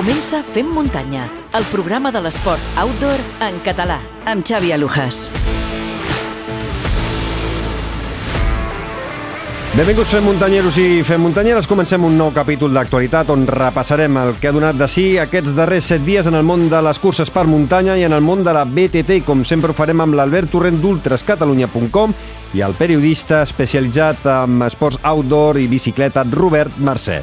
Comença Fem Muntanya, el programa de l'esport outdoor en català, amb Xavi Alujas. Benvinguts Fem Muntanyeros i Fem Muntanyeres. Comencem un nou capítol d'actualitat on repassarem el que ha donat de si aquests darrers 7 dies en el món de les curses per muntanya i en el món de la BTT. I com sempre ho farem amb l'Albert Torrent d'ultrascatalunya.com i el periodista especialitzat en esports outdoor i bicicleta Robert Mercè.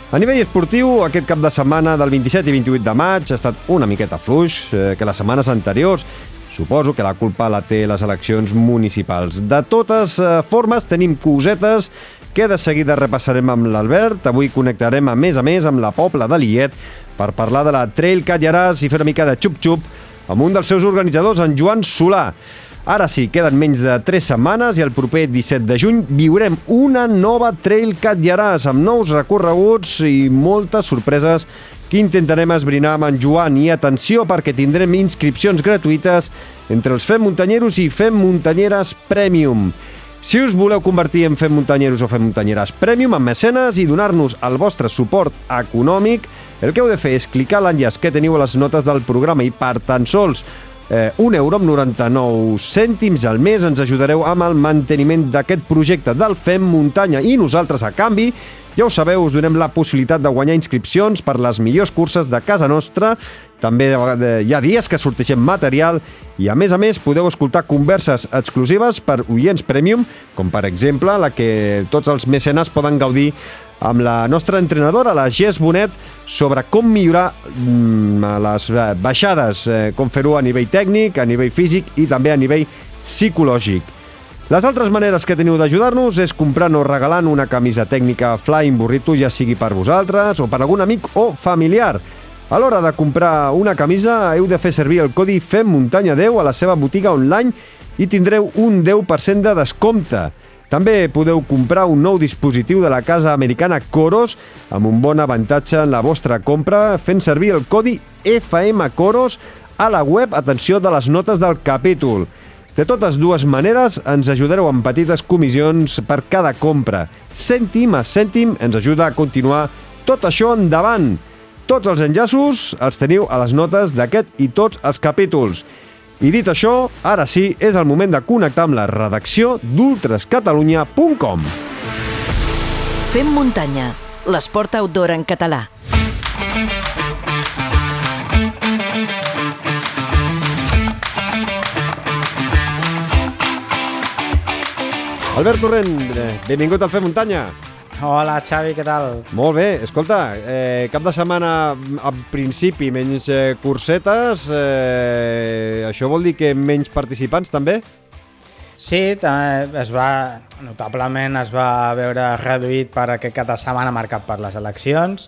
A nivell esportiu, aquest cap de setmana del 27 i 28 de maig ha estat una miqueta fluix que les setmanes anteriors. Suposo que la culpa la té les eleccions municipals. De totes formes, tenim cosetes que de seguida repassarem amb l'Albert. Avui connectarem a més amb la Pobla de Lillet per parlar de la Trail Cat Llaràs i fer una mica de xup-xup amb un dels seus organitzadors, en Joan Solà. Ara sí, queden menys de 3 setmanes i el proper 17 de juny viurem una nova Trail Cat Llaràs amb nous recorreguts i moltes sorpreses que intentarem esbrinar amb en Joan. I atenció, perquè tindrem inscripcions gratuïtes entre els Fem Muntanyeros i Fem Muntanyeres Premium. Si us voleu convertir en Fem Muntanyeros o Fem Muntanyeres Premium, amb mecenes i donar-nos el vostre suport econòmic, el que heu de fer és clicar l'enllaç que teniu a les notes del programa i per tan sols €1,99 al mes ens ajudareu amb el manteniment d'aquest projecte del Fem Muntanya i nosaltres, a canvi, ja ho sabeu, us donem la possibilitat de guanyar inscripcions per les millors curses de casa nostra. També hi ha dies que sortegem material i, a més, podeu escoltar converses exclusives per oients premium, com per exemple la que tots els mecenes poden gaudir amb la nostra entrenadora, la Jess Bonet, sobre com millorar les baixades, com fer-ho a nivell tècnic, a nivell físic i també a nivell psicològic. Les altres maneres que teniu d'ajudar-nos és comprant o regalant una camisa tècnica Flying Burrito, ja sigui per vosaltres o per algun amic o familiar. A l'hora de comprar una camisa heu de fer servir el codi FEMMUNTANYA10 a la seva botiga online i tindreu un 10% de descompte. També podeu comprar un nou dispositiu de la casa americana Coros amb un bon avantatge en la vostra compra fent servir el codi FMCOROS a la web, atenció, de les notes del capítol. De totes dues maneres ens ajudareu amb petites comissions per cada compra. Cèntim a cèntim ens ajuda a continuar tot això endavant. Tots els enllaços els teniu a les notes d'aquest i tots els capítols. I dit això, ara sí, és el moment de connectar amb la redacció d'ultrascatalunya.com. Fem Muntanya, l'esport outdoor en català. Albert Torrent, benvingut al Fem Muntanya. Hola, Xavi, què tal? Molt bé. Escolta, cap de setmana, en principi, menys cursetes. Això vol dir que menys participants, també? Sí, notablement es va veure reduït per aquest cap de setmana marcat per les eleccions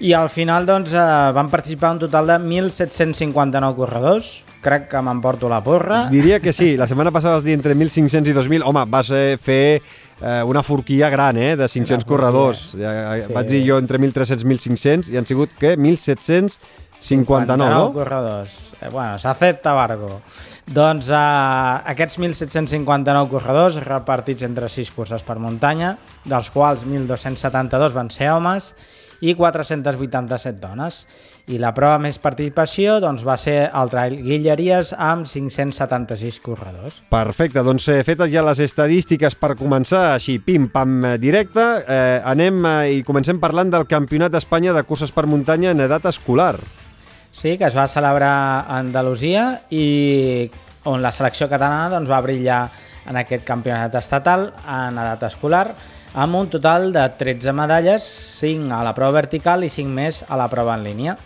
i al final van participar un total de 1.759 corredors. Crec que m'emporto la porra. Diria que sí. La setmana passada vas dir entre 1.500 i 2.000. Home, vas fer una forquilla gran, de 500 corredors. Sí. Vaig dir jo entre 1.300 i 1.500 i han sigut, què? 1.759, no? corredors. Bueno, s'acepta Bargo. Doncs aquests 1.759 corredors repartits entre 6 curses per muntanya, dels quals 1.272 van ser homes i 487 dones. I la prova més participació va ser el Trail Guilleries amb 576 corredors. Perfecte, doncs fetes ja les estadístiques per començar així, pim-pam, directe, anem i comencem parlant del Campionat d'Espanya de curses per muntanya en edat escolar. Sí, que es va celebrar a Andalusia i on la selecció catalana va brillar en aquest campionat estatal en edat escolar, amb un total de 13 medalles, 5 a la prova vertical i 5 més a la prova en línia.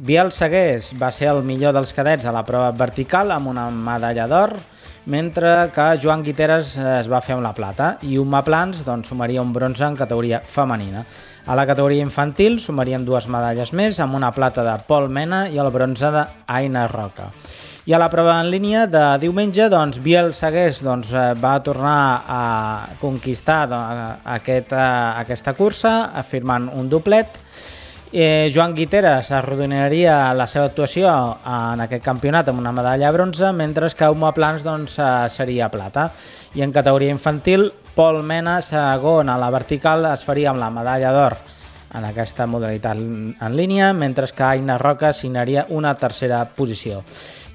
Biel Segués va ser el millor dels cadets a la prova vertical amb una medalla d'or, mentre que Joan Guiteres es va fer amb la plata i Uma Plans sumaria un bronze en categoria femenina. A la categoria infantil sumarien 2 medalles més, amb una plata de Pol Mena i el bronze d'Aina Roca. I a la prova en línia de diumenge, Biel Segués va tornar a conquistar aquesta cursa, afirmant un doblet. Joan Guiteres arrodonyaria la seva actuació en aquest campionat amb una medalla de bronze, mentre que Uma Plans seria plata. I en categoria infantil, Pol Mena, segon a la vertical, es faria amb la medalla d'or en aquesta modalitat en línia, mentre que Aina Roca signaria una tercera posició.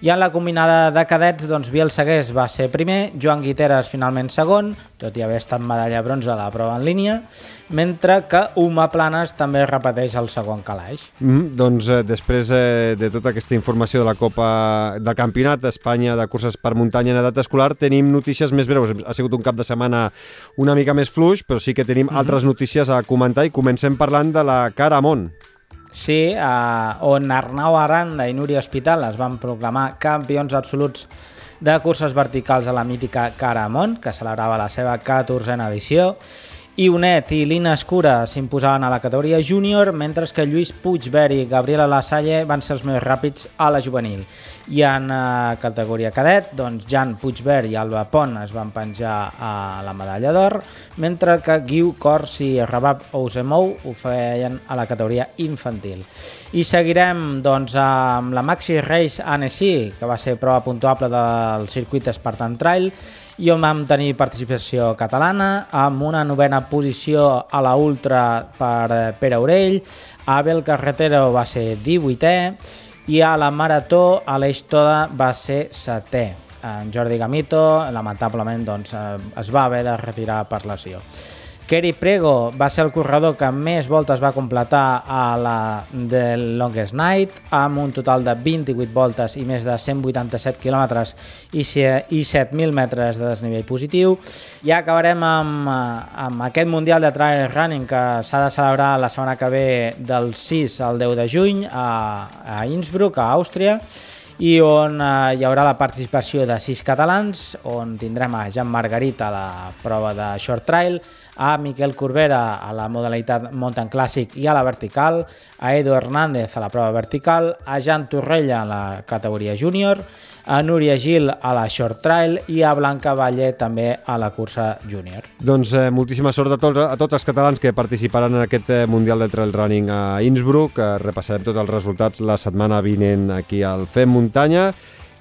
I en la combinada de cadets, doncs, Biel Segués va ser primer, Joan Guiteres finalment segon, tot i haver estat medalla de bronze a la prova en línia, mentre que Uma Planes també repeteix el segon calaix. Doncs després de tota aquesta informació de la Copa del Campionat d'Espanya de curses per muntanya en edat escolar, tenim notícies més breus. Ha sigut un cap de setmana una mica més fluix, però sí que tenim altres notícies a comentar i comencem parlant de la Cara Amont. Sí, on Arnau Aranda i Núria Hospital es van proclamar campions absoluts de curses verticals a la mítica Cara Amont, que celebrava la seva 14a edició, i Onet i Lina Escura s'imposaven a la categoria júnior, mentre que Lluís Puigvert i Gabriela Lasalle van ser els més ràpids a la juvenil. I en categoria cadet, doncs Jan Puigvert i Alba Pont es van penjar a la medalla d'or, mentre que Guiu Cors i Rabab Ousemou ho feien a la categoria infantil. I seguirem doncs, amb la Maxi Race Annecy, que va ser prova puntuable del circuit Spartan Trail, i on vam tenir participació catalana, amb una 9a posició a la Ultra per Pere Aurell, Abel Carretero va ser 18è, i a la Marató Aleix Toda va ser 7è. En Jordi Gamito, lamentablement, doncs, es va haver de retirar per lesió. Kerry Prego va ser el corredor que més voltes va completar a la The Longest Night, amb un total de 28 voltes i més de 187 quilòmetres i 7.000 metres de desnivell positiu. I acabarem amb aquest Mundial de Trail Running que s'ha de celebrar la setmana que ve del 6 al 10 de juny a Innsbruck, a Àustria, i on hi haurà la participació de 6 catalans, on tindrem a Jan Margarit a la prova de Short Trail, a Miquel Corbera a la modalitat Mountain Classic i a la vertical, a Edu Hernández a la prova vertical, a Jan Torrella a la categoria júnior, a Núria Gil a la Short Trail i a Blanca Valle també a la cursa júnior. Doncs moltíssima sort a tots els catalans que participaran en aquest Mundial de Trail Running a Innsbruck. Repassarem tots els resultats la setmana vinent aquí al Fem Muntanya.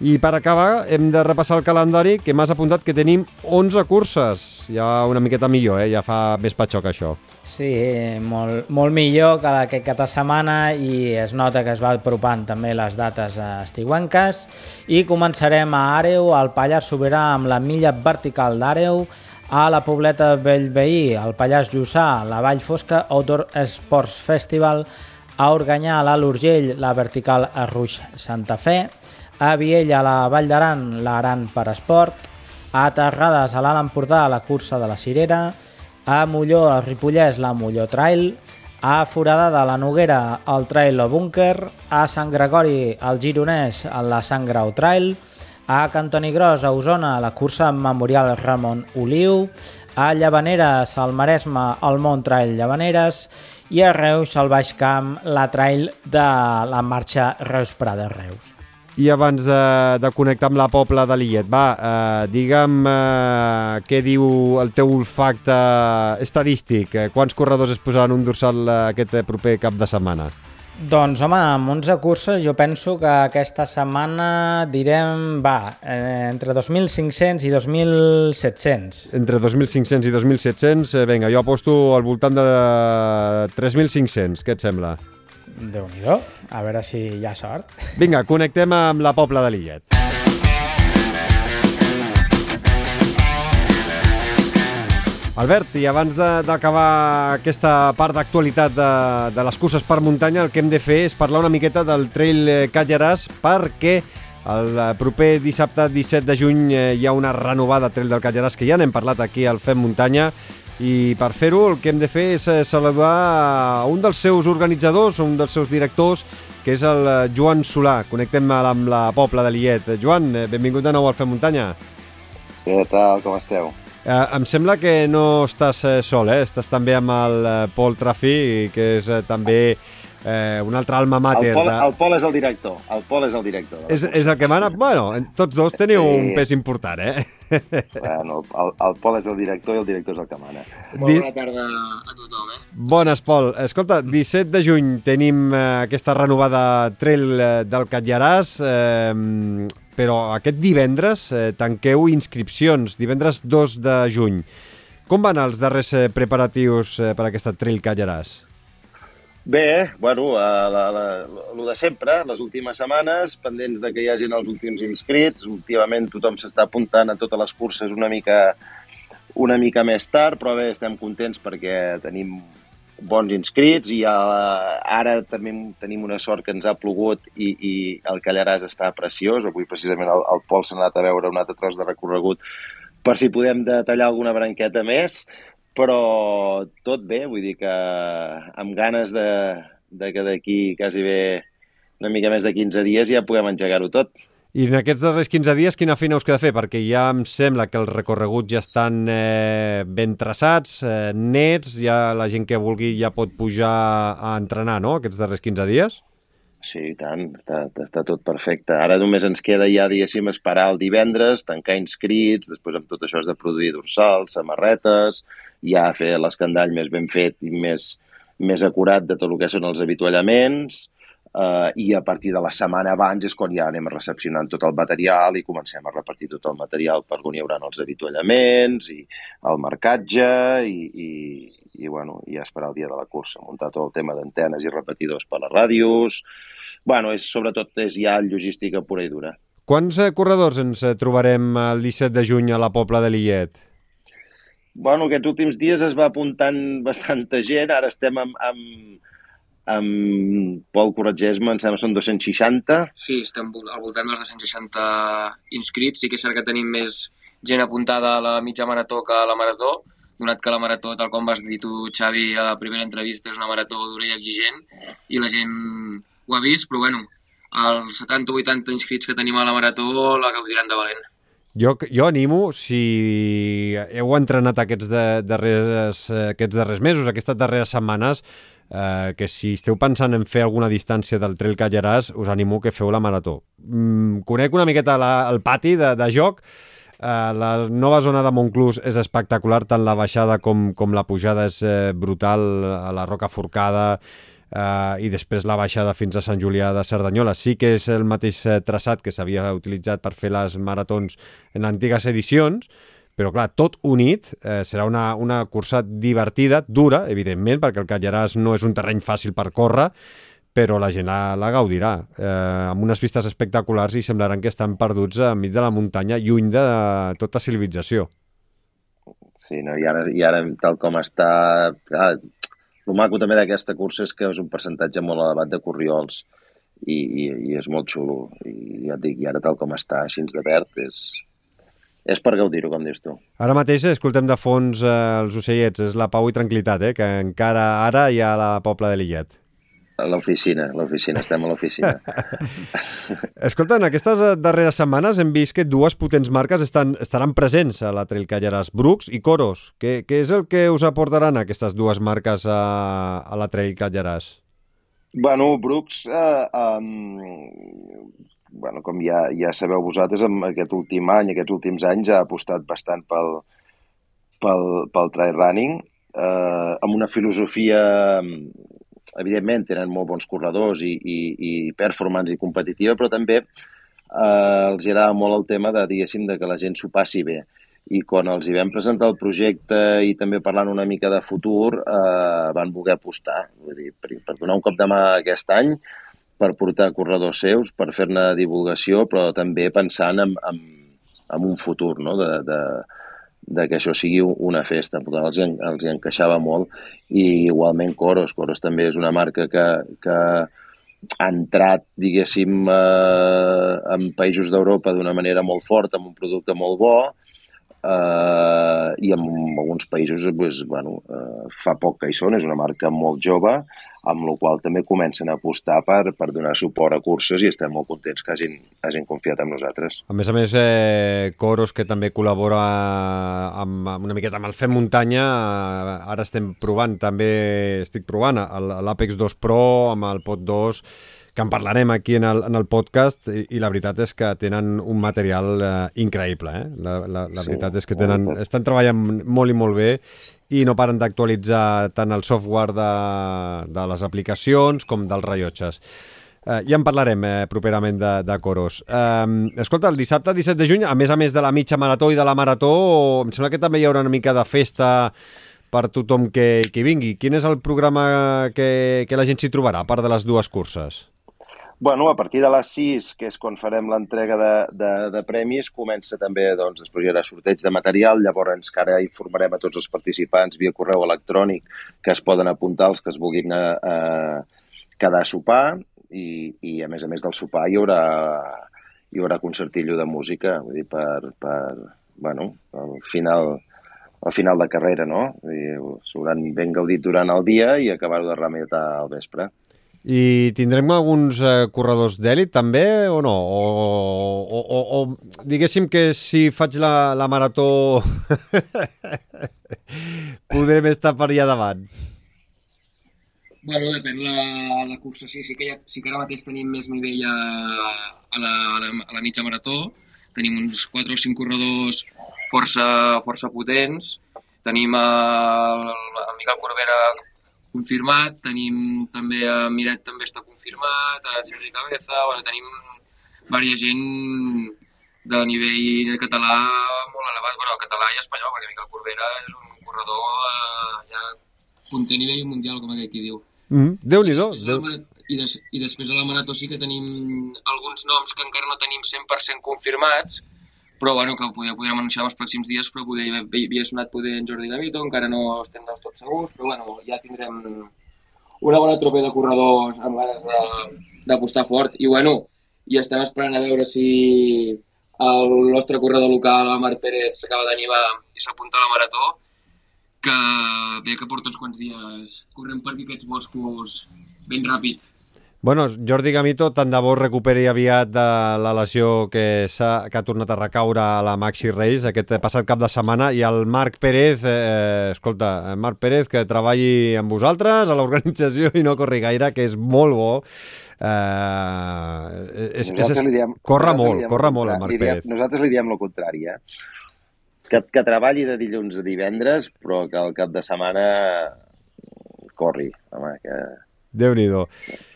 I per acabar hem de repassar el calendari, que m'has apuntat que tenim 11 curses. Ja una miqueta millor, ja fa més patxoc això. Sí, molt millor que aquest cap de setmana, i es nota que es va apropant també les dates estiuenques. I començarem a Àreu, al Pallars Sobirà, amb la milla vertical d'Àreu, a la Pobleta Bellveí, al Pallars Jussà, la Vall Fosca Outdoor Sports Festival, a Organyà, a l'Alt Urgell, la vertical a Ruix Santa Fe, a Viella, a la Vall d'Aran, l'Aran per Esport, a Terrades, a l'Alt Empordà, la cursa de la Cirera, a Molló, al Ripollès, la Molló Trail, a Foradada, la Noguera, el Trail o Búnquer, a Sant Gregori, al Gironès, a la Sant Grau Trail, a Cantoni Gros, a Osona, la cursa memorial Ramon Oliu, a Llavaneres, al Maresme, el Mont Trail Llavaneres, i a Reus, al Baix Camp, la Trail de la marxa Reus-Prada-Reus. I abans de connectar amb la Pobla de Lillet, digue'm què diu el teu olfacte estadístic. Quants corredors es posaran un dorsal aquest proper cap de setmana? Doncs, home, amb 11 curses jo penso que aquesta setmana direm, entre 2.500 i 2.700. Entre 2.500 i 2.700, vinga, jo aposto al voltant de 3.500, què et sembla? Déu-n'hi-do, a veure si hi ha sort. Vinga, connectem amb la Pobla de Lillet. Albert, i abans d'acabar aquesta part d'actualitat de les curses per muntanya, el que hem de fer és parlar una miqueta del Trail Catlllaràs, perquè el proper dissabte 17 de juny hi ha una renovada Trail del Catlllaràs, que ja n'hem parlat aquí al Fem Muntanya, i per fer-ho el que hem de fer és saludar un dels seus organitzadors, un dels seus directors, que és el Joan Solà. Connectem amb la Pobla de Lillet. Joan, benvingut de nou al Fem Muntanya. Què tal, com esteu? Em sembla que no estàs sol, estàs també amb el Pol Trafí, que és també un altre alma mater. El Pol és el director. És el que mana? Bueno, tots dos teniu un pes important, Bueno, el Pol és el director i el director és el que mana. Bona tarda a tothom, Bones, Pol. Escolta, 17 de juny tenim aquesta renovada Trail del Catlllaràs, però aquest divendres tanqueu inscripcions, divendres 2 de juny. Com van els darrers preparatius per aquesta Trail Catlllaràs? Bé, bueno, lo de sempre, les últimes setmanes, pendents de que hi hagin els últims inscrits. Últimament tothom s'està apuntant a totes les curses una mica més tard, però bé, estem contents perquè tenim bons inscrits i ara també tenim una sort que ens ha plogut i el Callaràs està preciós. Avui precisament el Pol s'ha anat a veure un altre tros de recorregut per si podem detallar alguna branqueta més, però tot bé, vull dir que amb ganes de que d'aquí quasi bé una mica més de 15 dies ja puguem engegar-ho tot. I en aquests darrers 15 dies quina feina us queda fer? Perquè ja em sembla que els recorreguts ja estan ben traçats, nets, ja la gent que vulgui ja pot pujar a entrenar, no?, aquests darrers 15 dies? Sí, i tant, està tot perfecte. Ara només ens queda ja, diguéssim, esperar el divendres, tancar inscrits, després amb tot això has de produir dorsals, samarretes, ja fer l'escandall més ben fet i més acurat de tot el que són els avituallaments, i a partir de la setmana abans és quan ja anem recepcionant tot el material i comencem a repartir tot el material per on hi haurà els avituallaments i el marcatge i bueno, ja esperar el dia de la cursa, muntar tot el tema d'antenes i repetidors per les ràdios. Bueno, sobretot és ja logística pura i dura. Quants corredors ens trobarem el 17 de juny a la Pobla de Lillet? Bueno, aquests últims dies es va apuntant bastanta gent, ara estem amb Pol, corregeix-me, em sembla que són 260. Sí, estem al voltant dels 260 inscrits. Sí que és cert que tenim més gent apuntada a la mitja marató que a la marató, donat que la marató, tal com vas dir tu, Xavi, a la primera entrevista, és una marató dura i exigent, i la gent ho ha vist, però bueno, els 70 o 80 inscrits que tenim a la marató la gaudiran de valent. Jo animo, si heu entrenat aquests darrers mesos, aquestes darreres setmanes, que si esteu pensant en fer alguna distància del Trail Callaràs, us animo que feu la marató. Conec una miqueta el pati de joc. La nova zona de Montclús és espectacular, tant la baixada com la pujada és brutal, a la Roca Forcada, i després la baixada fins a Sant Julià de Cerdanyola. Sí que és el mateix traçat que s'havia utilitzat per fer les maratons en antigues edicions, però clar, tot unit, serà una cursa divertida, dura, evidentment, perquè el Callaràs no és un terreny fàcil per córrer, però la gent la gaudirà, amb unes vistes espectaculars i semblaran que estan perduts enmig de la muntanya, lluny de tota civilització. Sí, no? I ara tal com està... El maco també d'aquesta cursa és que és un percentatge molt elevat de corriols i és molt xulo. I ja et dic, i ara tal com està, així de verd, és per gaudir-ho, com dius tu. Ara mateix escoltem de fons els ocellets, és la pau i tranquil·litat, que encara ara hi ha la Pobla de Lillet. A l'oficina, estem a l'oficina. Escolta, en aquestes darreres setmanes hem vist que dues potents marques estaran presents a la Trail Callaràs, Brooks i Coros. Què és el que us aportaran aquestes dues marques a la Trail Callaràs? Bueno, Brooks, com ja sabeu vosaltres, en aquest últim any, aquests últims anys, ha apostat bastant pel trail running, amb una filosofia... Evidentment, tenen molt bons corredors i performance i competitiva, però també els agrada molt el tema de, diguéssim, de que la gent s'ho passi bé. I quan els hi vam presentar el projecte i també parlant una mica de futur, van voler apostar. Vull dir, per donar un cop de mà aquest any, per portar corredors seus, per fer-ne divulgació, però també pensant en un futur, no?, de que això sigui una festa. Els hi encaixava molt. I igualment Coros també és una marca que ha entrat, diguéssim, en països d'Europa d'una manera molt forta, amb un producte molt bo, i en alguns països fa poc que hi són, és una marca molt jove, amb la qual també comencen a apostar per donar suport a curses i estem molt contents que hagin confiat en nosaltres. A més, Coros, que també col·labora una miqueta amb el Fem Muntanya, ara estic provant l'Apex 2 Pro amb el Pod 2, que en parlarem aquí en el podcast, i la veritat és que tenen un material increïble. La veritat és que estan treballant molt i molt bé i no paren d'actualitzar tant el software de les aplicacions com dels rellotges. Ja en parlarem properament de Coros. Escolta, el dissabte 17 de juny, a més de la mitja marató i de la marató, em sembla que també hi haurà una mica de festa per tothom que vingui. Quin és el programa que la gent s'hi trobarà, a part de les dues curses? Bueno, a partir de les 6, que és quan farem l'entrega de premis, comença també, doncs, després hi haurà sorteig de material, llavors ara informarem a tots els participants via correu electrònic que es poden apuntar els que es vulguin quedar a sopar i a més del sopar hi haurà concertillo de música, vull dir, al final de carrera, no? S'hauran ben gaudit durant el dia i acabar-ho de rematar al vespre. I tindrem alguns corredors d'èlit també o no? O diguéssim que si faig la marató podrem estar per allà davant? Bueno, depèn la cursa. Sí que ara mateix tenim més nivell a la mitja marató. Tenim uns 4 o 5 corredors força potents. Tenim el Miquel Corbera confirmat, tenim també a Miret també està confirmat, a Sergi Cabeza, tenim diversa gent de nivell català molt elevat, català i espanyol, perquè Miquel Corbera és un corredor ja punter a nivell mundial, com aquell qui diu. Déu-n'hi-do. I després a la marató sí que tenim alguns noms que encara no tenim 100% confirmats, però bueno, que podrem anunciar els pròxims dies, però havia sonat en Jordi Gamito, encara no estem del tot segurs, però bueno, ja tindrem una bona tropa de corredors amb ganes d'apostar fort. I bueno, i estem esperant a veure si el nostre corredor local, el Marc Pérez, s'acaba d'animar i s'apunta a la marató, que ve que porta uns quants dies corrent per aquests boscos ben ràpid. Bueno, Jordi Gamito, tant de bo recuperi aviat de la lesió que ha tornat a recaure a la Maxi Race aquest passat cap de setmana, i el Marc Pérez, Marc Pérez, que treballi amb vosaltres a l'organització i no corri gaire, que és molt bo. Corre molt el Marc Pérez. Nosaltres li diem el contrari, que treballi de dilluns a divendres, però que al cap de setmana corri, home, que... Déu-n'hi-do.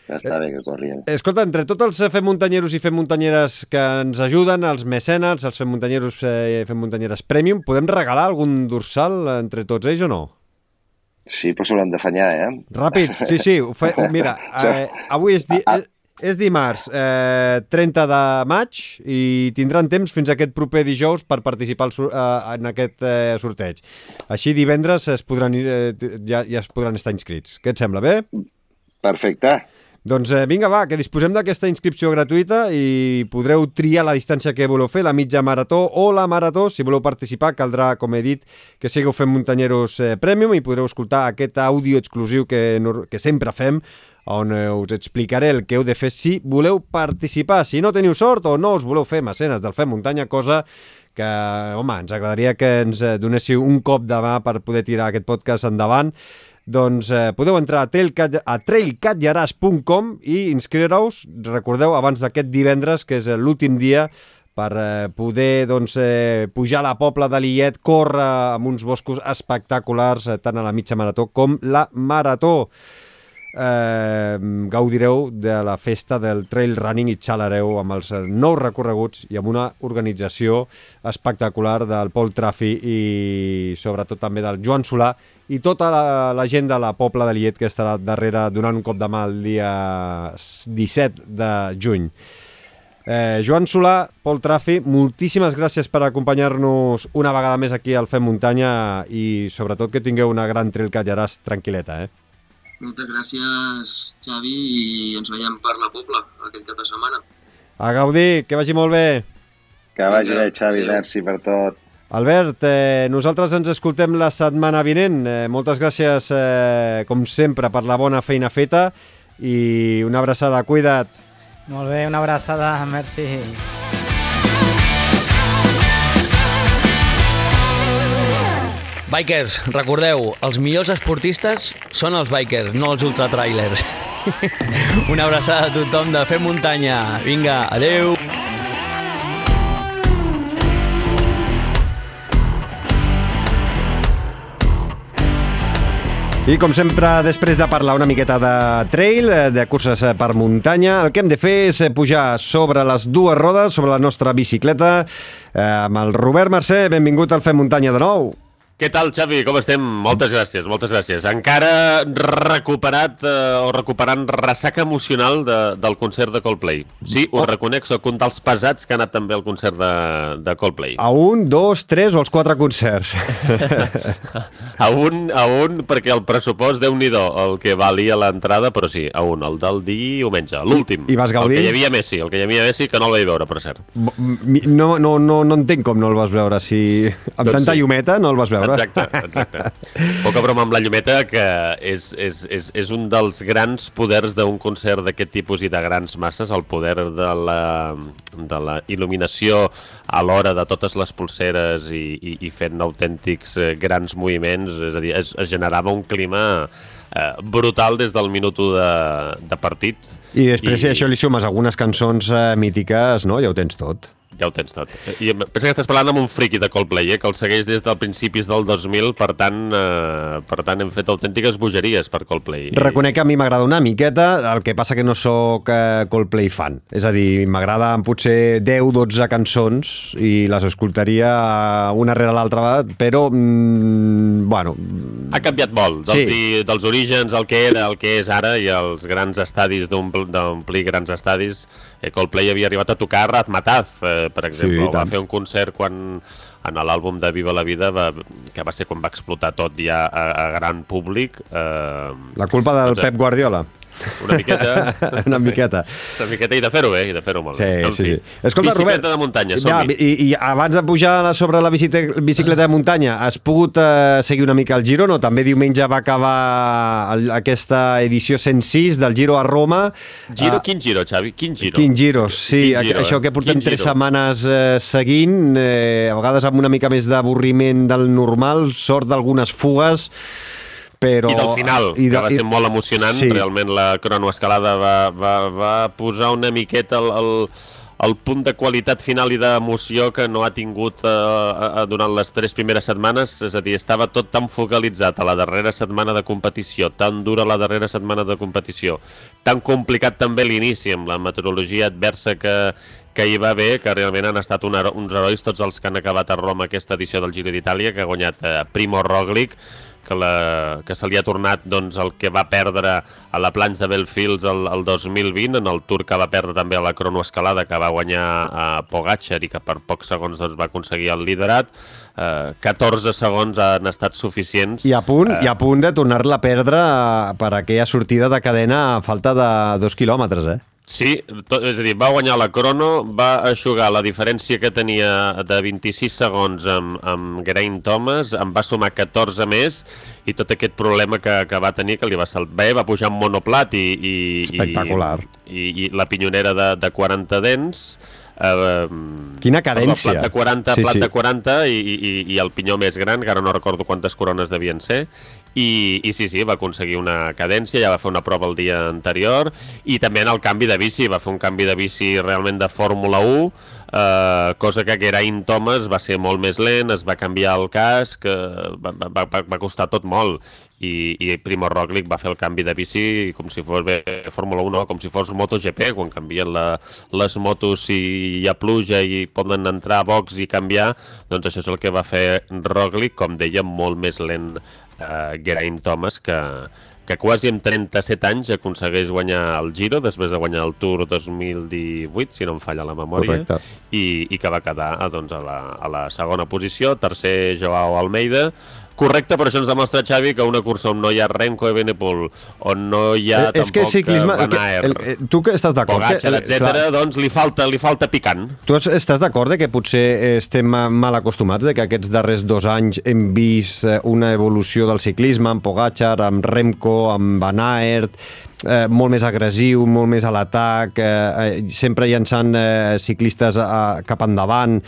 Està bé que corri. Escolta, entre tots els fem muntanyeros i fem muntanyeres que ens ajuden, els mecenes, els fem muntanyeros i fem muntanyeres premium, podem regalar algun dorsal entre tots ells o no? Sí, però s'hauran d'afanyar, Ràpid, sí. Mira, avui és dimarts 30 de maig i tindran temps fins a aquest proper dijous per participar en aquest sorteig. Així divendres ja es podran estar inscrits. Què et sembla, bé? Perfecte. Doncs vinga, va, que disposem d'aquesta inscripció gratuïta i podreu triar la distància que voleu fer, la mitja marató o la marató. Si voleu participar, caldrà, com he dit, que sigueu fent muntanyeros premium i podreu escoltar aquest àudio exclusiu que sempre fem, on us explicaré el que heu de fer si voleu participar. Si no teniu sort o no us voleu fer mecenes del Fem Muntanya, cosa que, home, ens agradaria que ens donéssiu un cop de mà per poder tirar aquest podcast endavant, doncs podeu entrar a trailcatllaràs.com i inscriure-us, recordeu, abans d'aquest divendres, que és l'últim dia per poder pujar a la Pobla de Lillet, córrer amb uns boscos espectaculars, tant a la mitja marató com la marató. Gaudireu de la festa del trail running i xalareu amb els nous recorreguts i amb una organització espectacular del Pol Trafi i sobretot també del Joan Solà i tota la gent de la Pobla de Lillet que estarà darrere donant un cop de mà el dia 17 de juny. Joan Solà, Pol Trafi, moltíssimes gràcies per acompanyar-nos una vegada més aquí al Fem Muntanya i sobretot que tingueu una gran Trail Catllaràs tranquil·leta, Moltes gràcies, Xavi, i ens veiem per la Pobla aquest cap de setmana. A gaudir, que vagi molt bé. Que vagi bé, Xavi, merci per tot. Albert, nosaltres ens escoltem la setmana vinent. Moltes gràcies, com sempre, per la bona feina feta i una abraçada, cuida't. Molt bé, una abraçada, merci. Bikers, recordeu, els millors esportistes són els bikers, no els ultratrailers. Una abraçada a tothom de Fem Muntanya. Vinga, adeu! I com sempre, després de parlar una miqueta de trail, de curses per muntanya, el que hem de fer és pujar sobre les dues rodes, sobre la nostra bicicleta, amb el Robert Mercè. Benvingut al Fem Muntanya de nou. Què tal, Xavi? Com estem? Moltes gràcies, moltes gràcies. Encara recuperat o recuperant ressaca emocional del concert de Coldplay. Sí, ho reconec, soc un dels pesats que ha anat també al concert de Coldplay. A 1, 2, 3 o els 4 concerts? A un, perquè el pressupost, Déu-n'hi-do, el que valia l'entrada, però sí, a un, el del diumenge, l'últim. I vas gaudir? El que hi havia Messi, que no el vaig veure, per cert. No entenc com no el vas veure, si amb tanta llumeta no el vas veure. Exacte. Poca broma amb la llumeta, que és un dels grans poders d'un concert d'aquest tipus i de grans masses, el poder de la il·luminació a l'hora de totes les polseres i fent autèntics grans moviments, és a dir, es generava un clima brutal des del minut 1 de partit. I després, si això li sumes algunes cançons mítiques, no? Ja ho tens tot. Ja ho tens tot. I pensa que estàs parlant amb un friqui de Coldplay, que el segueix des del principis del 2000, per tant hem fet autèntiques bogeries per Coldplay. Reconec que a mi m'agrada una miqueta, el que passa que no sóc Coldplay fan. És a dir, m'agraden potser 10-12 cançons i les escoltaria una rere l'altra, però, bueno... Ha canviat molt, dels orígens, el que era, el que és ara, i els grans estadis, d'omplir grans estadis. Coldplay havia arribat a tocar Razzmatazz, per exemple, va fer un concert quan en l'àlbum de Viva la Vida, que va ser quan va explotar tot ja a gran públic. La culpa del Pep Guardiola. Una miqueta. Una miqueta i de fer-ho bé, i de fer-ho molt bé. Sí. Escolta, Robert, bicicleta de muntanya, i abans de pujar sobre la bicicleta de muntanya, has pogut seguir una mica el Giro, no? També diumenge va acabar aquesta edició 106 del Giro a Roma. Quin Giro, Xavi? Quin Giro, sí. Això que portem 3 setmanes seguint, a vegades amb una mica més d'avorriment del normal, sort d'algunes fugues, però... I del final, que va ser molt emocionant. Sí. Realment la cronoescalada va posar una miqueta el punt de qualitat final i d'emoció que no ha tingut durant les 3 primeres setmanes. És a dir, estava tot tan focalitzat a la darrera setmana de competició, tan dura la darrera setmana de competició, tan complicat també l'inici amb la meteorologia adversa que hi va haver, que realment han estat uns herois tots els que han acabat a Roma aquesta edició del Giro d'Itàlia, que ha guanyat Primo Roglic, que se li ha tornat el que va perdre a la Planche de Belfields el 2020, en el Tour que va perdre també a la cronoescalada, que va guanyar a Pogačar i que per pocs segons va aconseguir el liderat. 14 segons han estat suficients. I a punt de tornar-la a perdre per aquella sortida de cadena a falta de 2 quilòmetres, Sí, és a dir, va guanyar la crono, va eixugar la diferència que tenia de 26 segons amb Geraint Thomas, en va sumar 14 més, i tot aquest problema que va tenir, que li va salvar, va pujar en monoplat espectacular. I la pinyonera de 40 dents. Quina cadència. Plat de 40, plat de 40 i el pinyó més gran, que ara no recordo quantes corones devien ser. I sí, va aconseguir una cadència, ja va fer una prova el dia anterior, i també en el canvi de bici, va fer un canvi de bici realment de Fórmula 1, cosa que Geraint Thomas va ser molt més lent, es va canviar el casc, va costar tot molt, i Primo Roglic va fer el canvi de bici com si fos Fórmula 1, com si fos MotoGP, quan canvien les motos, si hi ha pluja i poden entrar a box i canviar, doncs això és el que va fer Roglic, com deia, molt més lent Geraint Thomas, que quasi amb 37 anys aconsegueix guanyar el Giro, després de guanyar el Tour 2018, si no em falla la memòria. Correcte. I que va quedar a la segona posició, tercer Joao Almeida. Correcte, però això ens demostra, Xavi, que una cursa on no hi ha Remco Evenepoel, on no hi ha tampoc Van Aert, tu que estàs d'acord, Pogačar, etc., doncs li falta picant. Tu estàs d'acord que potser estem mal acostumats, que aquests darrers 2 anys hem vist una evolució del ciclisme, amb Pogačar, amb Remco, amb Van Aert, molt més agressiu, molt més a l'atac, sempre llançant ciclistes cap endavant,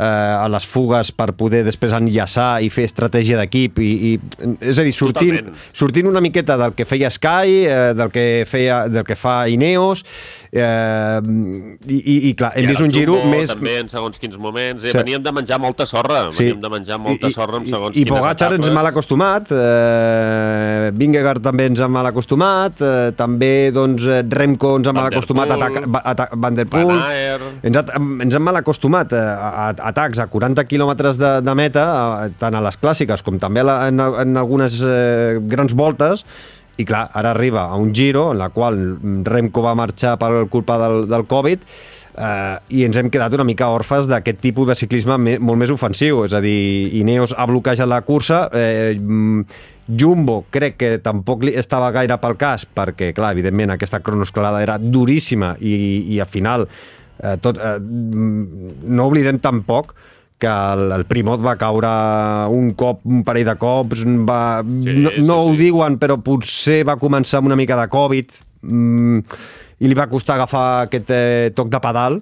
a les fugues per poder després enllaçar i fer estratègia d'equip, és a dir, sortint una miqueta del que feia Sky, del que fa Ineos, i clar, hem vist un Giro més... També en segons quins moments, veníem de menjar molta sorra, en segons quines etapes. I Pogačar ens mal acostumat, Vingegaard també ens ha mal acostumat, també Remco ens ha mal acostumat, Van der Poel, ens ha mal acostumat a atacs a 40 quilòmetres de meta, tant a les clàssiques com també en algunes grans voltes, i clar, ara arriba a un Giro en la qual Remco va marxar per culpa del Covid, i ens hem quedat una mica orfes d'aquest tipus de ciclisme molt més ofensiu, és a dir, Ineos ha bloquejat la cursa, Jumbo crec que tampoc estava gaire pel cas, perquè, clar, evidentment, aquesta cronoescalada era duríssima i al final, no oblidem tampoc que el Primoz va caure un parell de cops, no ho diuen, però potser va començar amb una mica de Covid, i li va costar agafar aquest toc de pedal,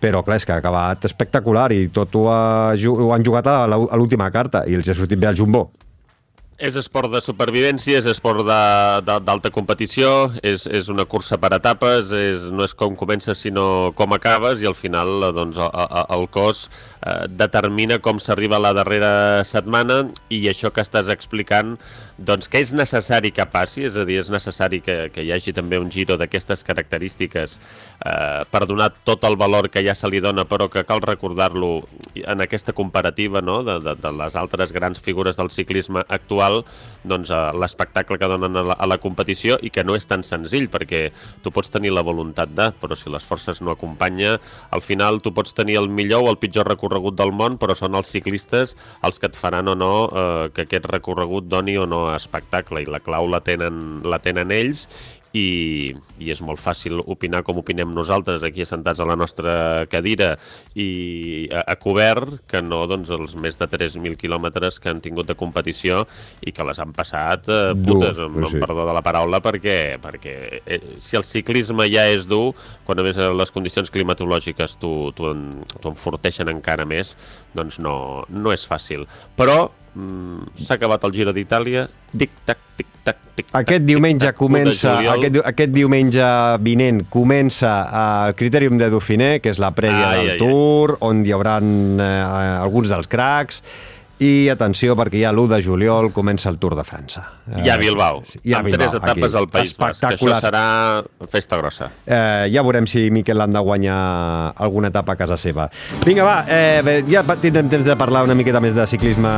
però clar, és que ha acabat espectacular i tot ho han jugat a l'última carta i els ha sortit bé al Jumbo. És esport de supervivència, és esport d'alta competició, és una cursa per etapes, no és com comences sinó com acabes, i al final doncs, el cos determina com s'arriba a la darrera setmana, i això que estàs explicant, doncs que és necessari que passi, és a dir, és necessari que hi hagi també un Giro d'aquestes característiques per donar tot el valor que ja se li dona, però que cal recordar-lo en aquesta comparativa, no?, de les altres grans figures del ciclisme actual, doncs l'espectacle que donen a la competició, i que no és tan senzill, perquè tu pots tenir la voluntat però si les forces no acompanya, al final tu pots tenir el millor o el pitjor recorregut del món, però són els ciclistes els que et faran o no que aquest recorregut doni o no espectacle, i la clau la tenen ells, i és molt fàcil opinar com opinem nosaltres aquí assentats a la nostra cadira i a cobert, que no doncs, els més de 3.000 quilòmetres que han tingut de competició i que les han passat putes, amb perdó de la paraula, perquè si el ciclisme ja és dur, quan a més les condicions climatològiques t'ho enforteixen encara més, doncs no és fàcil. Però s'ha acabat el Giro d'Itàlia, tic-tac, tic-tac, tic-tac. Aquest diumenge comença, aquest diumenge vinent comença el Critérium de Dauphiné, que és la prèvia del Tour, on hi haurà alguns dels cracs, i atenció, perquè ja l'1 de juliol comença el Tour de França. Ja a Bilbao, amb 3 etapes al País Basc, que això serà festa grossa. Ja veurem si Mikel Landa guanya alguna etapa a casa seva. Vinga, va, ja tindrem temps de parlar una miqueta més de ciclisme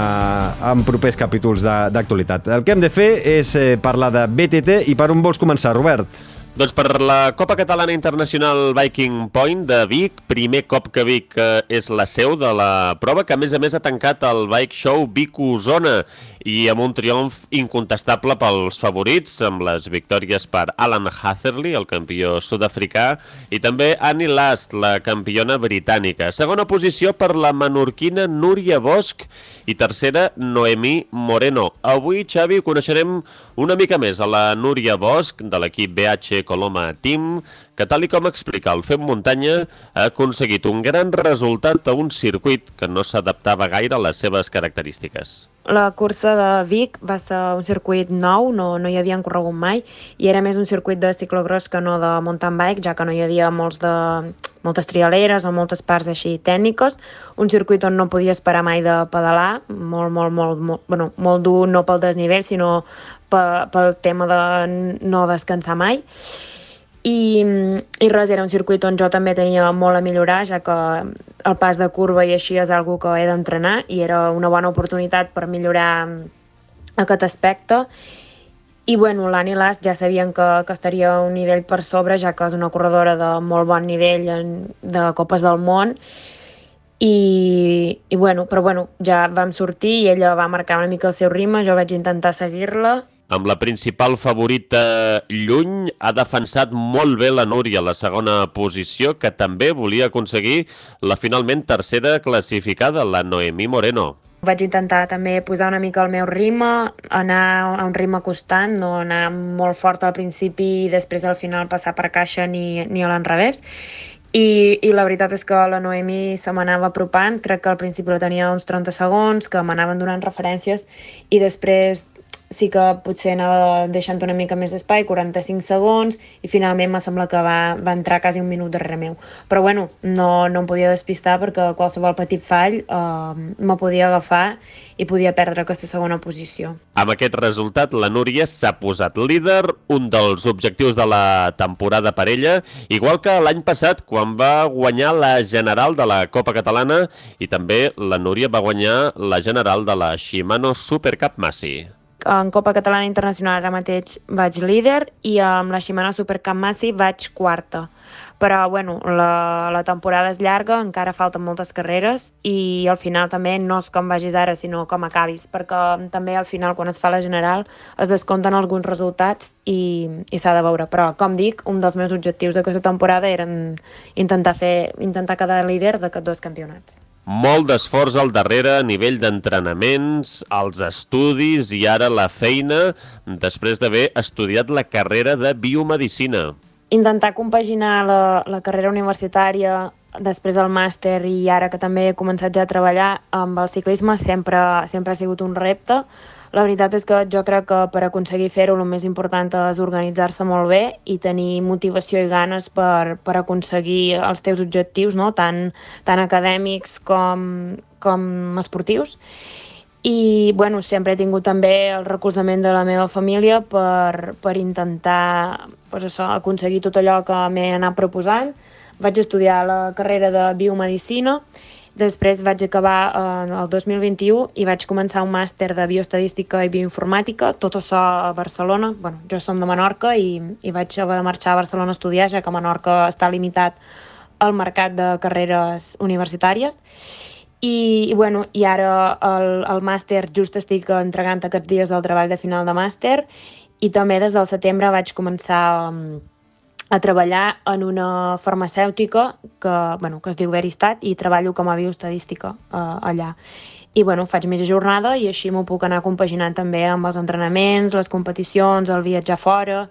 en propers capítols d'actualitat. El que hem de fer és parlar de BTT, i per on vols començar, Robert? Doncs per la Copa Catalana Internacional Biking Point de Vic, primer cop que Vic és la seu de la prova, que a més ha tancat el Bike Show Vic-Osona, i amb un triomf incontestable pels favorits, amb les victòries per Alan Hatherley, el campió sud-africà, i també Annie Last, la campiona britànica. Segona posició per la menorquina Núria Bosch, i tercera Noemí Moreno. Avui, Xavi, coneixerem una mica més a la Núria Bosch, de l'equip BH Coloma Team, que tal i com explica el Fem Muntanya, ha aconseguit un gran resultat a un circuit que no s'adaptava gaire a les seves característiques. La cursa de Vic va ser un circuit nou, no hi havien corregut mai, i era més un circuit de ciclocross que no de mountain bike, ja que no hi havia moltes trialeres o moltes parts així tècniques, un circuit on no podies parar mai de pedalar, molt dur, no pel desnivell, sinó pel tema de no descansar mai. I res, era un circuit on jo també tenia molt a millorar, ja que el pas de curva i així és algo que he d'entrenar, i era una bona oportunitat per millorar aquest aspecte. I bueno, l'Annie Last ja sabien que estaria un nivell per sobre, ja que és una corredora de molt bon nivell de Copes del Món, però ja vam sortir i ella va marcar una mica el seu ritme, jo vaig intentar seguir-la. Amb la principal favorita lluny, ha defensat molt bé la Núria a la segona posició, que també volia aconseguir la finalment tercera classificada, la Noemí Moreno. Vaig intentar també posar una mica el meu ritme, anar a un ritme constant, no anar molt fort al principi i després al final passar per caixa ni a l'enrevés. I la veritat és que la Noemí se m'anava apropant, crec que al principi la tenia uns 30 segons, que m'anaven donant referències, i després sí que potser anava deixant una mica més d'espai, 45 segons, i finalment me sembla que va entrar quasi un minut darrere meu. Però bueno, no em podia despistar perquè qualsevol petit fall me podia agafar i podia perdre aquesta segona posició. Amb aquest resultat, la Núria s'ha posat líder, un dels objectius de la temporada per ella, igual que l'any passat, quan va guanyar la general de la Copa Catalana, i també la Núria va guanyar la general de la Shimano Super Cup Massi. En Copa Catalana Internacional ara mateix vaig líder i amb la Shimano Super Cup Massi vaig quarta. Però bueno, la temporada és llarga, encara falten moltes carreres i al final també no és com vagis ara, sinó com acabis, perquè també al final quan es fa la general es descompten alguns resultats i s'ha de veure. Però com dic, un dels meus objectius d'aquesta temporada eren intentar quedar líder d'aquests dos campionats. Molt d'esforç al darrere a nivell d'entrenaments, els estudis i ara la feina, després d'haver estudiat la carrera de biomedicina. Intentar compaginar la carrera universitària, després del màster i ara que també he començat ja a treballar amb el ciclisme sempre ha sigut un repte. La veritat és que jo crec que per aconseguir fer-ho el més important és organitzar-se molt bé i tenir motivació i ganes per aconseguir els teus objectius, no? tant acadèmics com esportius. I bueno, sempre he tingut també el recolzament de la meva família per intentar aconseguir tot allò que m'he anat proposant. Vaig estudiar la carrera de biomedicina. Després vaig acabar el 2021 i vaig començar un màster de bioestadística i bioinformàtica, tot això a Barcelona. Bueno, jo som de Menorca i vaig haver de marxar a Barcelona a estudiar, ja que a Menorca està limitat el mercat de carreres universitàries. I ara el màster just estic entregant aquests dies del treball de final de màster i també des del setembre vaig començar a treballar en una farmacèutica que es diu Veristat i treballo com a bioestadística allà. I faig mitja jornada i així m'ho puc anar compaginant també amb els entrenaments, les competicions, el viatjar fora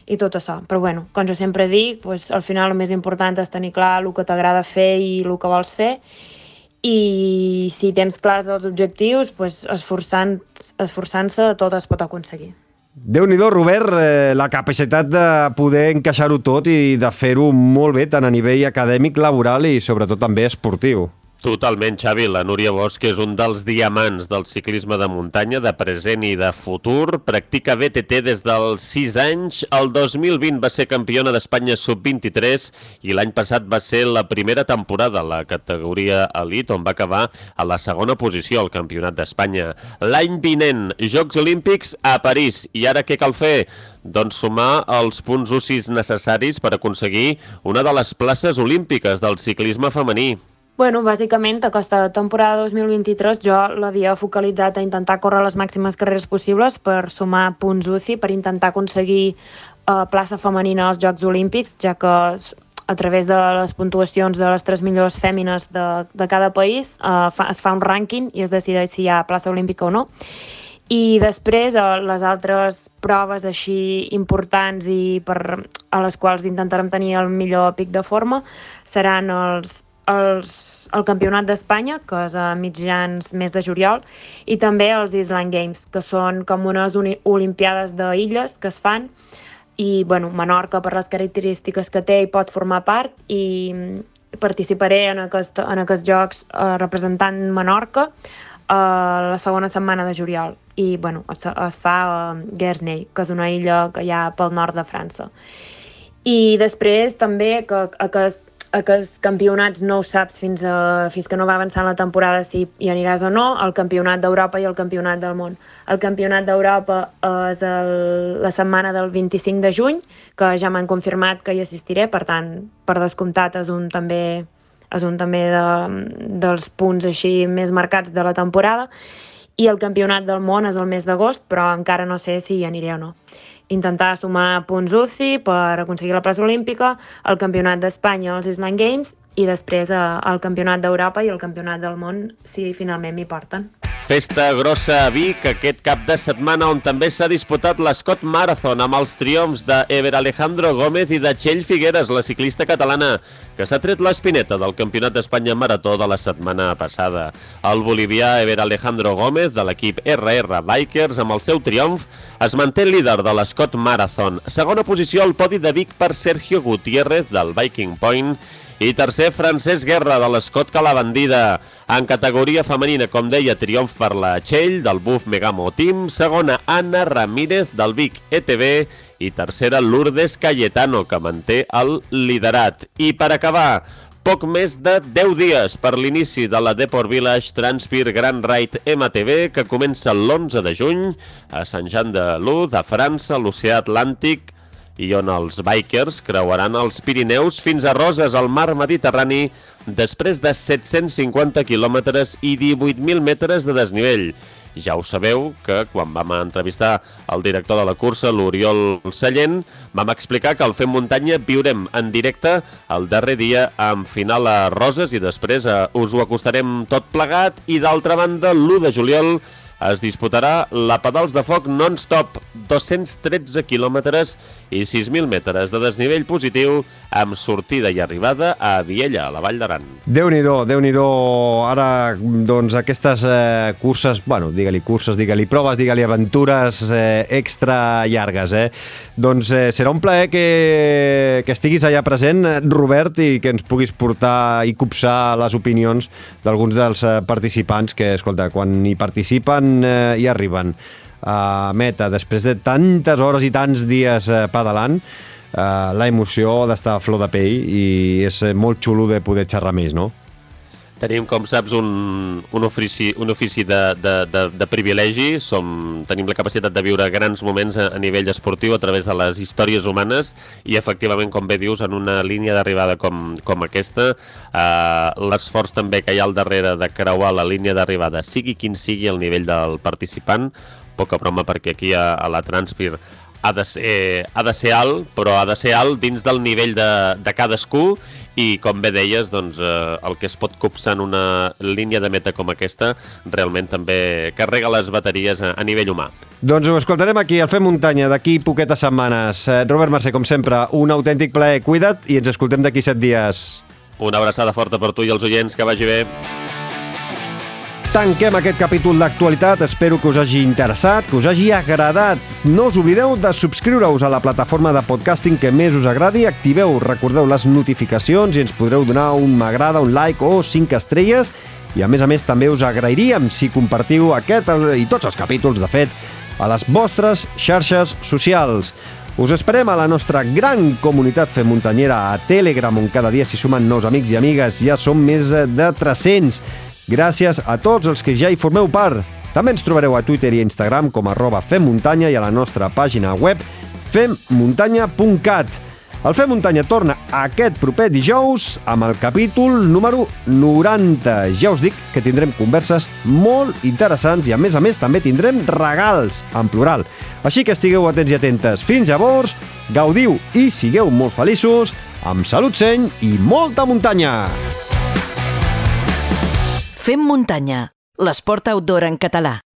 i tot això. Però com jo sempre dic, al final el més important és tenir clar el que t'agrada fer i el que vols fer. I si tens clars els objectius, esforçant-se tot es pot aconseguir. Déu-n'hi-do, Robert, la capacitat de poder encaixar-ho tot i de fer-ho molt bé, tant a nivell acadèmic, laboral i sobretot també esportiu. Totalment, Xavi. La Núria Bosch és un dels diamants del ciclisme de muntanya, de present i de futur. Practica BTT des dels 6 anys. El 2020 va ser campiona d'Espanya sub-23 i l'any passat va ser la primera temporada a la categoria elit, on va acabar a la segona posició al Campionat d'Espanya. L'any vinent, Jocs Olímpics a París. I ara què cal fer? Doncs sumar els punts UCIs necessaris per aconseguir una de les places olímpiques del ciclisme femení. Bàsicament, aquesta temporada 2023 jo l'havia focalitzat a intentar córrer les màximes carreres possibles per sumar punts UCI, per intentar aconseguir plaça femenina als Jocs Olímpics, ja que a través de les puntuacions de les 3 millors fèmines de cada país es fa un rànquing i es decideix si hi ha plaça olímpica o no. I després les altres proves així importants i a les quals intentarem tenir el millor pic de forma seran el Campionat d'Espanya, que és a mitjans mes de juliol, i també els Island Games, que són com unes olimpiades d'illes que es fan, i Menorca, per les característiques que té, hi pot formar part, i participaré en aquests jocs representant Menorca la segona setmana de juliol. I es fa a Guernsey, que és una illa que hi ha pel nord de França. I després també que aquests campionats no ho saps fins que no va avançant la temporada si hi aniràs o no, el Campionat d'Europa i el Campionat del món. El Campionat d'Europa és la setmana del 25 de juny, que ja m'han confirmat que hi assistiré, per tant, per descomptat és un també dels punts així més marcats de la temporada, i el Campionat del món és el mes d'agost, però encara no sé si hi aniré o no. Intentar sumar punts UCI per aconseguir la plaça olímpica, el Campionat d'Espanya als Island Games i després el Campionat d'Europa i el Campionat del món si finalment m'hi porten. Festa grossa a Vic aquest cap de setmana, on també s'ha disputat l'Scott Marathon amb els triomfs d'Ever Alejandro Gómez i de Txell Figueres, la ciclista catalana, que s'ha tret l'espineta del Campionat d'Espanya Marató de la setmana passada. El bolivià Ever Alejandro Gómez, de l'equip RR Bikers, amb el seu triomf, es manté líder de l'Scott Marathon. Segona posició al podi de Vic per Sergio Gutiérrez, del Viking Point, i tercer, Francesc Guerra, de l'Escot Calabandida. En categoria femenina, com deia, triomf per la Txell, del Buff Megamo Team. Segona, Anna Ramírez, del Vic ETB. I tercera, Lourdes Cayetano, que manté el liderat. I per acabar, poc més de 10 dies per l'inici de la Deport Village Transpir Grand Ride MTB, que comença l'11 de juny a Sant Jean de Luz, a França, a l'Oceà Atlàntic, i on els bikers creuaran els Pirineus fins a Roses, al mar Mediterrani, després de 750 quilòmetres i 18.000 metres de desnivell. Ja ho sabeu que quan vam entrevistar el director de la cursa, l'Oriol Sallent, vam explicar que al Fem Muntanya viurem en directe el darrer dia amb final a Roses i després us ho acostarem tot plegat. I d'altra banda, l'1 de juliol es disputarà la Pedals de Foc non-stop, 213 quilòmetres i 6.000 metres de desnivell positiu, amb sortida i arribada a Viella, a la Vall d'Aran. Déu-n'hi-do, Déu-n'hi-do. Ara, doncs, aquestes curses, bueno, digue-li curses, digue-li proves, digue-li aventures extra llargues, Doncs serà un plaer que estiguis allà present, Robert, i que ens puguis portar i copsar les opinions d'alguns dels participants que, escolta, quan hi participen i arriben a meta després de tantes hores i tants dies pedalant, la emoció ha d'estar a flor de pell i és molt xulo de poder xerrar més, no? Tenim, com saps, un ofici de privilegi. Tenim la capacitat de viure grans moments a nivell esportiu a través de les històries humanes i, efectivament, com bé dius, en una línia d'arribada com aquesta, l'esforç també que hi ha al darrere de creuar la línia d'arribada, sigui quin sigui el nivell del participant, poca broma, perquè aquí a la Transpir ha de ser alt, però ha de ser alt dins del nivell de cadascú i, com bé deies, doncs, el que es pot copsar en una línia de meta com aquesta realment també carrega les bateries a nivell humà. Doncs ho escoltarem aquí, al Fem Muntanya, d'aquí poquetes setmanes. Robert Mercè, com sempre, un autèntic plaer. Cuida't i ens escoltem d'aquí 7 dies. Una abraçada forta per tu i els oients, que vagi bé. Tanquem aquest capítol d'actualitat, espero que us hagi interessat, que us hagi agradat. No us oblideu de subscriure-us a la plataforma de podcasting que més us agradi, activeu, recordeu les notificacions i ens podreu donar un m'agrada, un like o 5 estrelles. I a més també us agrairíem si compartiu aquest i tots els capítols, de fet, a les vostres xarxes socials. Us esperem a la nostra gran comunitat femmuntanyera a Telegram, on cada dia s'hi sumen nous amics i amigues. Ja som més de 300. Gràcies a tots els que ja hi formeu part. També ens trobareu a Twitter i Instagram com @femmuntanya i a la nostra pàgina web femmuntanya.cat. El Fem Muntanya torna aquest proper dijous amb el capítol número 90. Ja us dic que tindrem converses molt interessants i, a més també tindrem regals, en plural. Així que estigueu atents i atentes. Fins llavors, gaudiu i sigueu molt feliços, amb salut, seny i molta muntanya! Fem Muntanya, l'esport outdoor en català.